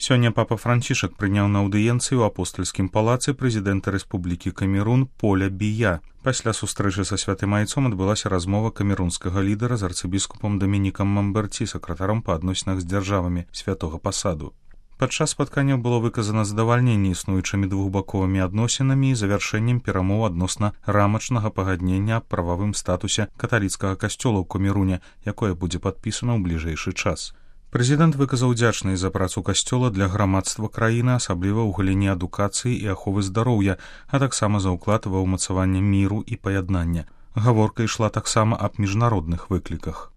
Сёння папа Францішак прыняў на аўдыенцыі ў апостальскім палацы прэзідэнта Рэспублікі Камерун Поля Бія. Пасля сустрэчы са святым айцом адбылася размова камерунскага лідара з арцыбіскупам Дамінікам Мамберці, сакратаром па адносінах з дзяржавамі святога пасаду. Падчас спаткання было выказана задавальненне існуючымі двухбаковымі адносінамі і завяршэннем перамоў адносна рамачнага пагаднення аб прававым статусе каталіцкага касцёла ў Камеруне, якое будзе падпісана ў бліжэйшы час. Прэзідэнт выказаў удзячнасць за працу касцёла для грамадства краіны, асабліва ў галіне адукацыі і аховы здароўя, а таксама за ўклад ва ўмацаванне міру і паяднання. Гаворка ішла таксама аб міжнародных выкліках.